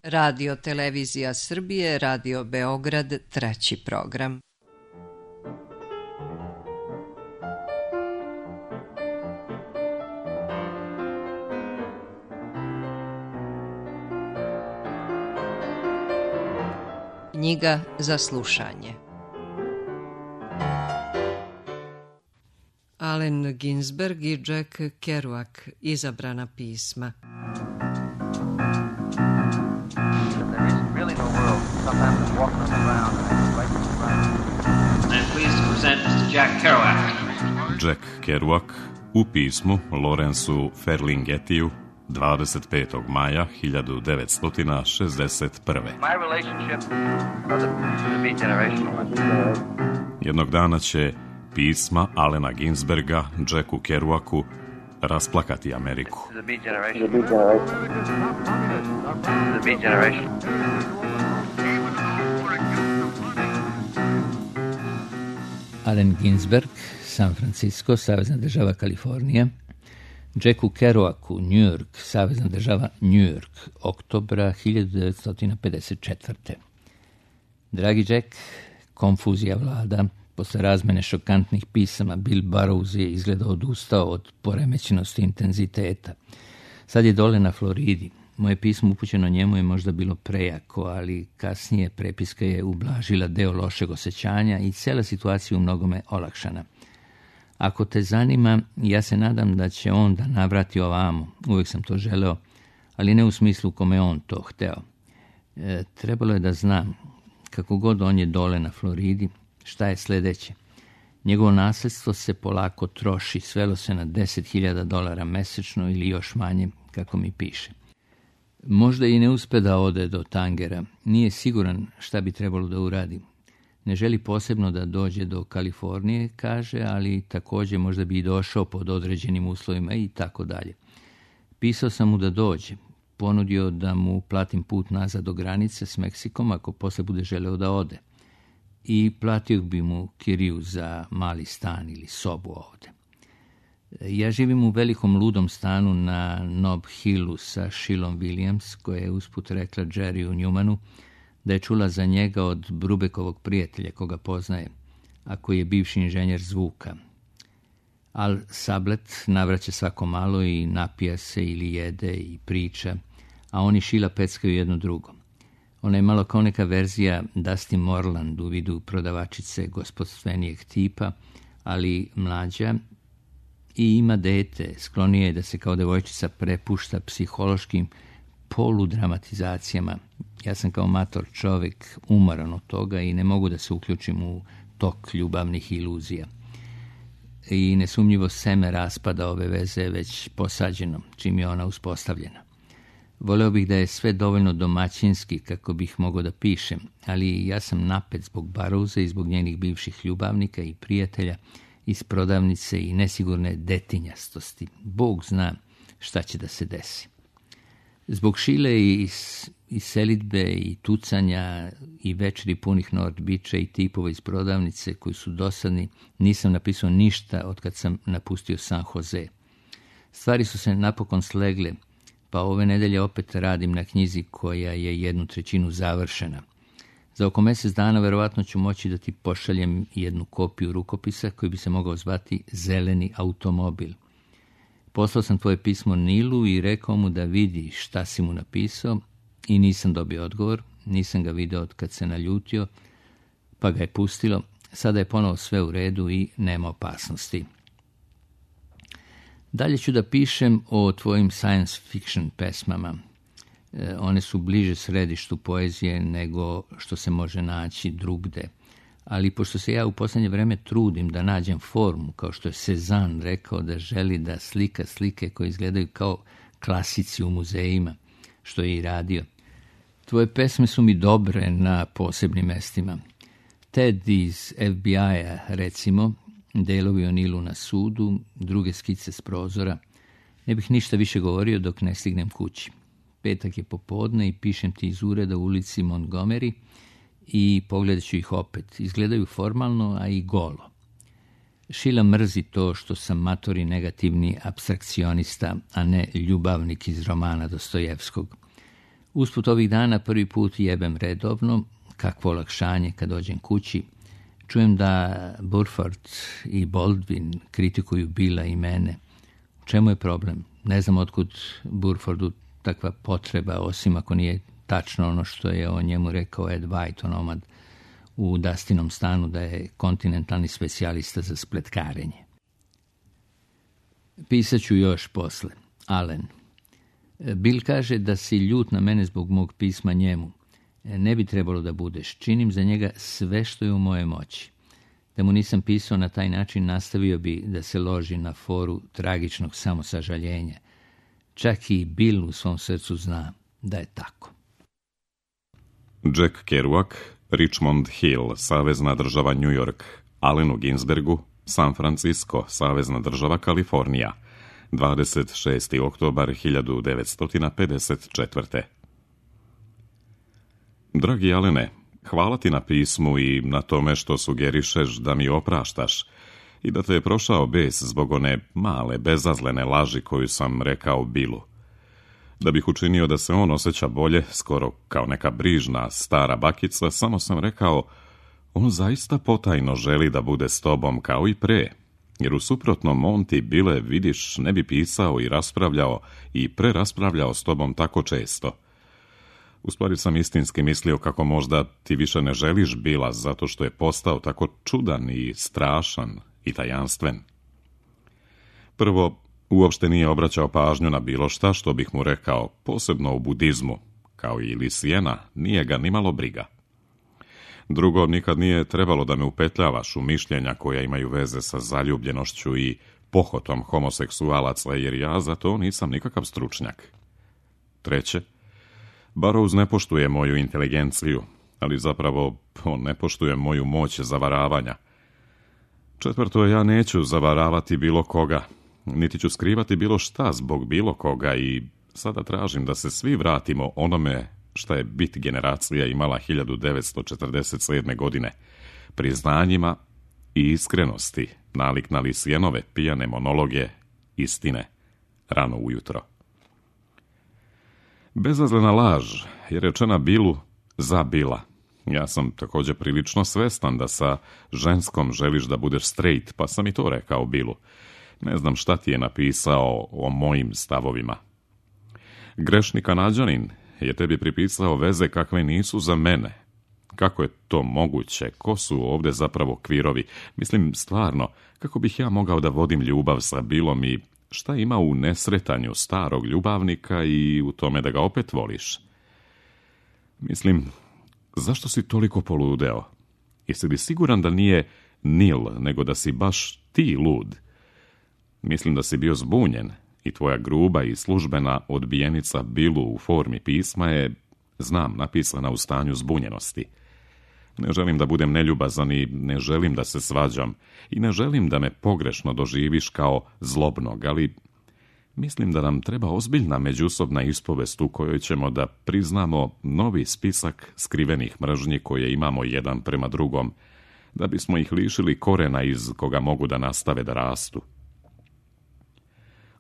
Radio Televizija Srbije, Radio Beograd, 3. program. Knjiga za slušanje. Allen Ginsberg i Jack Kerouac, izabrana pisma. Jack Kerouac u pismu Lawrenceu Ferlinghettiju 25. maja 1961. Jednog dana će pisma Allena Ginsberga Jacku Kerouacu rasplakati Ameriku. Allen Ginsberg, San Francisco, Savezna država Kalifornija. Jacku Kerouacu, New York, Savezna država New York, oktobra 1954. Dragi Jack, konfuzija vlada. Posle razmene šokantnih pisama, Bill Burroughs je izgleda odustao od poremećenosti intenziteta. Sad je dole na Floridi. Moje pismo upućeno njemu je možda bilo prejako, ali kasnije prepiska je ublažila deo lošeg osjećanja i cijela situacija u mnogome olakšana. Ako te zanima, ja se nadam da će on da navrati ovamo. Uvijek sam to želeo, ali ne u smislu kome on to hteo. Trebalo je da znam, kako god on je dole na Floridi, šta je sljedeće. Njegovo nasljedstvo se polako troši, svelo se na $10.000 mesečno ili još manje, kako mi piše. Možda i ne uspe da ode do Tangera, nije siguran šta bi trebalo da uradi. Ne želi posebno da dođe do Kalifornije, kaže, ali također možda bi i došao pod određenim uslovima i tako dalje. Pisao sam mu da dođe, ponudio da mu platim put nazad do granice s Meksikom ako posle bude želeo da ode. I platio bi mu kiriju za mali stan ili sobu ovde. Ja živim u velikom ludom stanu na Nob Hillu sa Shilom Williams, koja je usput rekla Jerryu Newmanu da je čula za njega od Brubekovog prijatelja koga poznaje, a koji je bivši inženjer zvuka. Al Sablet navraća svako malo i napija se ili jede i priča, a oni Shila peckaju jedno drugo. Ona je malo kao neka verzija Dusty Morland u vidu prodavačice gospodstvenijeg tipa, ali mlađa, i ima dete, sklonije je da se kao devojčica prepušta psihološkim poludramatizacijama. Ja sam kao mator čovjek umoran od toga i ne mogu da se uključim u tok ljubavnih iluzija. I nesumnjivo seme raspada ove veze je već posađeno, čim je ona uspostavljena. Voleo bih da je sve dovoljno domaćinski kako bih mogao da pišem, ali ja sam napet zbog Burroughsa i zbog njenih bivših ljubavnika i prijatelja iz prodavnice i nesigurne detinjastosti. Bog zna šta će da se desi. Zbog Šile i selidbe i tucanja i večeri punih North Beacha i tipova iz prodavnice koji su dosadni, nisam napisao ništa od kad sam napustio San Jose. Stvari su se napokon slegle, pa ove nedelje opet radim na knjizi koja je 1/3 završena. Za oko mjesec dana verovatno ću moći da ti pošaljem jednu kopiju rukopisa koji bi se mogao zvati Zeleni automobil. Poslao sam tvoje pismo Nilu i rekao mu da vidi šta si mu napisao i nisam dobio odgovor, nisam ga video od kad se naljutio, pa ga je pustilo. Sada je ponovo sve u redu i nema opasnosti. Dalje ću da pišem o tvojim science fiction pesmama. One su bliže središtu poezije nego što se može naći drugde. Ali pošto se ja u posljednje vreme trudim da nađem formu, kao što je Cezanne rekao da želi da slika slike koje izgledaju kao klasici u muzejima, što je i radio. Tvoje pesme su mi dobre na posebnim mestima. Ted iz FBI-a, recimo, delovi o Nilu na sudu, druge skice s prozora. Ne bih ništa više govorio dok ne stignem kući. Petak je popodne i pišem ti iz ureda u ulici Montgomery i pogledat ću ih opet. Izgledaju formalno, a i golo. Šila mrzi to što sam matori negativni apstrakcionista, a ne ljubavnik iz romana Dostojevskog. Usput ovih dana prvi put jebem redovno, kakvo olakšanje kad dođem kući. Čujem da Burford i Baldwin kritikuju Billa i mene. U čemu je problem? Ne znam otkud Burfordu takva potreba, osim ako nije tačno ono što je o njemu rekao Ed White, onomad u Dustinom stanu, da je kontinentalni specijalista za spletkarenje. Pisat ću još posle. Allen. Bill kaže da si ljut na mene zbog mog pisma njemu. Ne bi trebalo da budeš. Činim za njega sve što je u moje moći. Da mu nisam pisao na taj način, nastavio bi da se loži na foru tragičnog samosažaljenja. Čak i Bill u svom srcu zna da je tako. Jack Kerouac, Richmond Hill, savezna država New York, Allenu Ginsbergu, San Francisco, savezna država Kalifornija, 26. oktobar 1954. Dragi Allene, hvala ti na pismu i na tome što sugerišeš da mi opraštaš i da te je prošao bes zbog one male, bezazlene laži koju sam rekao Billu. Da bih učinio da se on osjeća bolje, skoro kao neka brižna stara bakica, samo sam rekao, on zaista potajno želi da bude s tobom kao i pre, jer u suprotnom on ti, Bile, vidiš, ne bi pisao i raspravljao i preraspravljao s tobom tako često. U stvari sam istinski mislio kako možda ti više ne želiš Billa zato što je postao tako čudan i strašan i tajanstven. Prvo, uopšte nije obraćao pažnju na bilo šta što bih mu rekao, posebno u budizmu, kao i Lisijena, nije ga nimalo briga. Drugo, nikad nije trebalo da me upetljavaš u mišljenja koja imaju veze sa zaljubljenošću i pohotom homoseksualaca, jer ja za to nisam nikakav stručnjak. Treće, Burroughs ne poštuje moju inteligenciju, ali zapravo on ne poštuje moju moć zavaravanja. Četvrto, ja neću zavaravati bilo koga, niti ću skrivati bilo šta zbog bilo koga i sada tražim da se svi vratimo onome šta je bit generacija imala 1947. godine, priznanjima i iskrenosti, nalik na Lisijenove pijane monologe istine rano ujutro. Bezazlena laž je rečena Billu za Billa. Ja sam također prilično svestan da sa ženskom želiš da budeš straight, pa sam i to rekao Billu. Ne znam šta ti je napisao o mojim stavovima. Grešni Kanađanin je tebi pripisao veze kakve nisu za mene. Kako je to moguće? Ko su ovdje zapravo kvirovi? Mislim, stvarno, kako bih ja mogao da vodim ljubav sa Billom i šta ima u nesretanju starog ljubavnika i u tome da ga opet voliš? Mislim, zašto si toliko poludeo? Jesi li siguran da nije Nil, nego da si baš ti lud? Mislim da si bio zbunjen i tvoja gruba i službena odbijenica Billu u formi pisma je, znam, napisana u stanju zbunjenosti. Ne želim da budem neljubazan i ne želim da se svađam i ne želim da me pogrešno doživiš kao zlobnog, ali mislim da nam treba ozbiljna međusobna ispovest u kojoj ćemo da priznamo novi spisak skrivenih mržnji koje imamo jedan prema drugom, da bismo ih lišili korena iz koga mogu da nastave da rastu.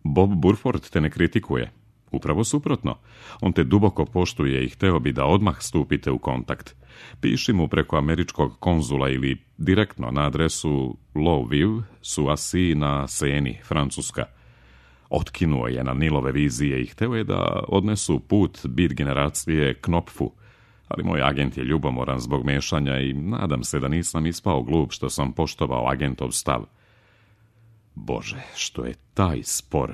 Bob Burford te ne kritikuje. Upravo suprotno. On te duboko poštuje i hteo bi da odmah stupite u kontakt. Piši mu preko američkog konzula ili direktno na adresu Lowville, Suassi na Seni, Francuska. Otkinuo je na Nilove vizije i hteo je da odnesu put bit generacije Knopfu, ali moj agent je ljubomoran zbog mešanja i nadam se da nisam ispao glup što sam poštovao agentov stav. Bože, što je taj spor?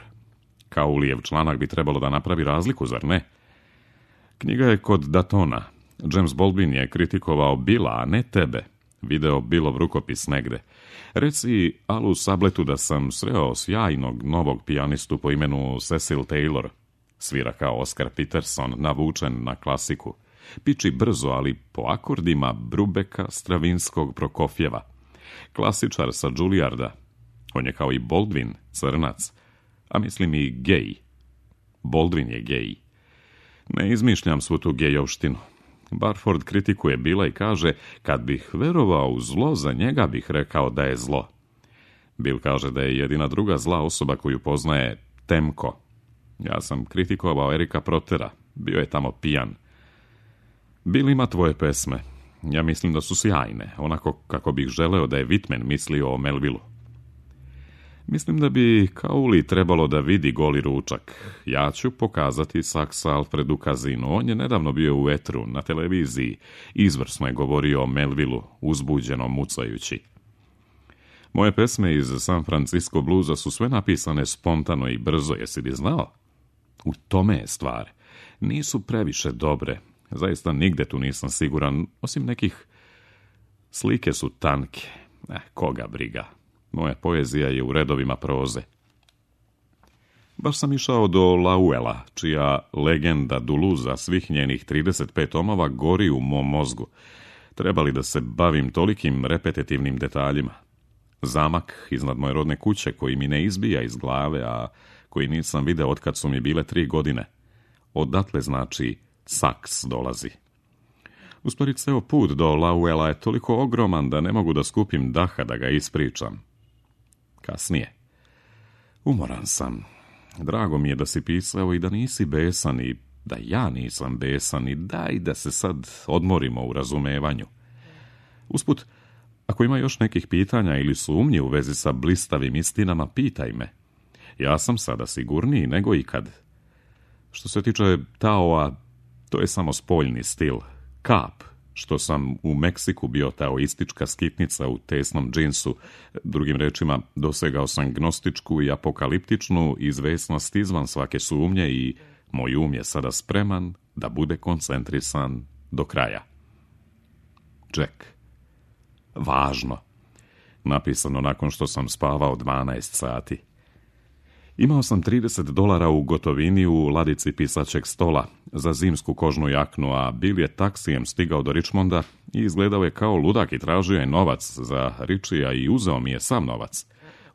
Kaulijev članak bi trebalo da napravi razliku, zar ne? Knjiga je kod Datona. James Baldwin je kritikovao Billa, a ne tebe. Video Billov rukopis negde. Reci Alu Sabletu da sam sreo sjajnog novog pijanistu po imenu Cecil Taylor. Svira kao Oscar Peterson, navučen na klasiku. Piči brzo, ali po akordima Brubeka, Stravinskog, Prokofjeva. Klasičar sa Juilliarda. On je kao i Baldwin, crnac, a mislim i gej. Baldwin je gej. Ne izmišljam svu tu gejovštinu. Burford kritikuje Billa i kaže, kad bih verovao u zlo, za njega bih rekao da je zlo. Bill kaže da je jedina druga zla osoba koju poznaje Temko. Ja sam kritikovao Erika Protera. Bio je tamo pijan. Bill ima tvoje pesme. Ja mislim da su sjajne, onako kako bih želeo da je Whitman mislio o Melvillu. Mislim da bi Kauli trebalo da vidi Goli ručak. Ja ću pokazati Saksa Alfredu Kazinu. On je nedavno bio u etru, na televiziji. Izvrsno je govorio o Melvillu, uzbuđeno mucajući. Moje pesme iz San Francisco bluza su sve napisane spontano i brzo, jesi li znao? U tome je stvar. Nisu previše dobre. Zaista nigde tu nisam siguran, osim nekih. Slike su tanke. Koga briga. Moja poezija je u redovima proze. Baš sam išao do Lowella, čija legenda Duluza svih njenih 35 tomova gori u mom mozgu. Treba li da se bavim tolikim repetitivnim detaljima? Zamak iznad moje rodne kuće koji mi ne izbija iz glave, a koji nisam video otkad su mi bile 3 godine. Odatle znači Saks dolazi. Uspori ceo put do Lowella je toliko ogroman da ne mogu da skupim daha da ga ispričam. Kasnije. Umoran sam. Drago mi je da si pisao i da nisi besan i da ja nisam besan i daj da se sad odmorimo u razumevanju. Usput, ako ima još nekih pitanja ili sumnji u vezi sa blistavim istinama, pitaj me. Ja sam sada sigurniji nego ikad. Što se tiče Taoa, to je samo spoljni stil. Kap, što sam u Meksiku bio taoistička skitnica u tesnom džinsu. Drugim rečima, dosegao sam gnostičku i apokaliptičnu izvesnost izvan svake sumnje i moj um je sada spreman da bude koncentrisan do kraja. Jack. Važno. Napisano nakon što sam spavao 12 sati. Imao sam $30 u gotovini u ladici pisaćeg stola za zimsku kožnu jaknu, a Bill je taksijem stigao do Richmonda i izgledao je kao ludak i tražio je novac za Richija i uzeo mi je sam novac.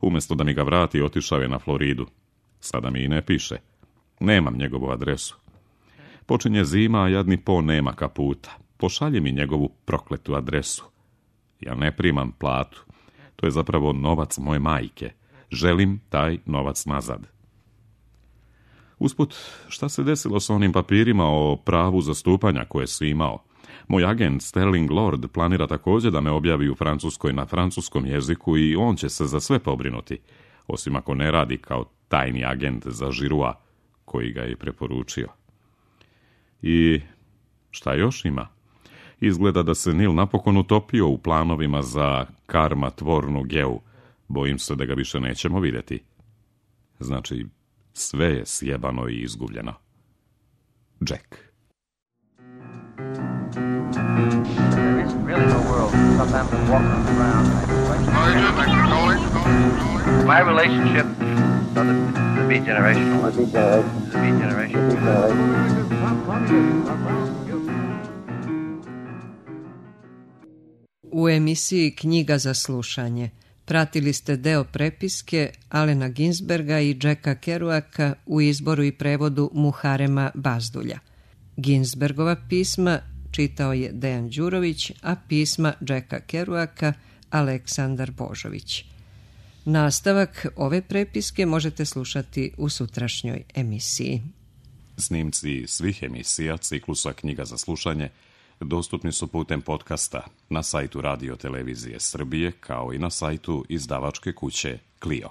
Umjesto da mi ga vrati, otišao je na Floridu. Sada mi i ne piše. Nemam njegovu adresu. Počinje zima, a jadni Po nema kaputa. Pošalji mi njegovu prokletu adresu. Ja ne primam platu. To je zapravo novac moje majke. Želim taj novac nazad. Usput, šta se desilo s onim papirima o pravu zastupanja koje si imao? Moj agent Sterling Lord planira također da me objavi u Francuskoj na francuskom jeziku i on će se za sve pobrinuti, osim ako ne radi kao tajni agent za Žirua, koji ga je preporučio. I šta još ima? Izgleda da se Nil napokon utopio u planovima za karmatvornu Geu. Bojim se da ga više nećemo vidjeti. Znači, sve je sjebano i izgubljeno. Jack. My relationship to the Beat Generation. The Beat Generation. U emisiji Knjiga za slušanje pratili ste deo prepiske Alena Ginsberga i Jacka Kerouaka u izboru i prevodu Muharema Bazdulja. Ginsbergova pisma čitao je Dejan Đurović, a pisma Jacka Kerouaka Aleksandar Božović. Nastavak ove prepiske možete slušati u sutrašnjoj emisiji. Snimci svih emisija ciklusa Knjiga za slušanje dostupni su putem podcasta na sajtu Radio Televizije Srbije kao i na sajtu izdavačke kuće Clio.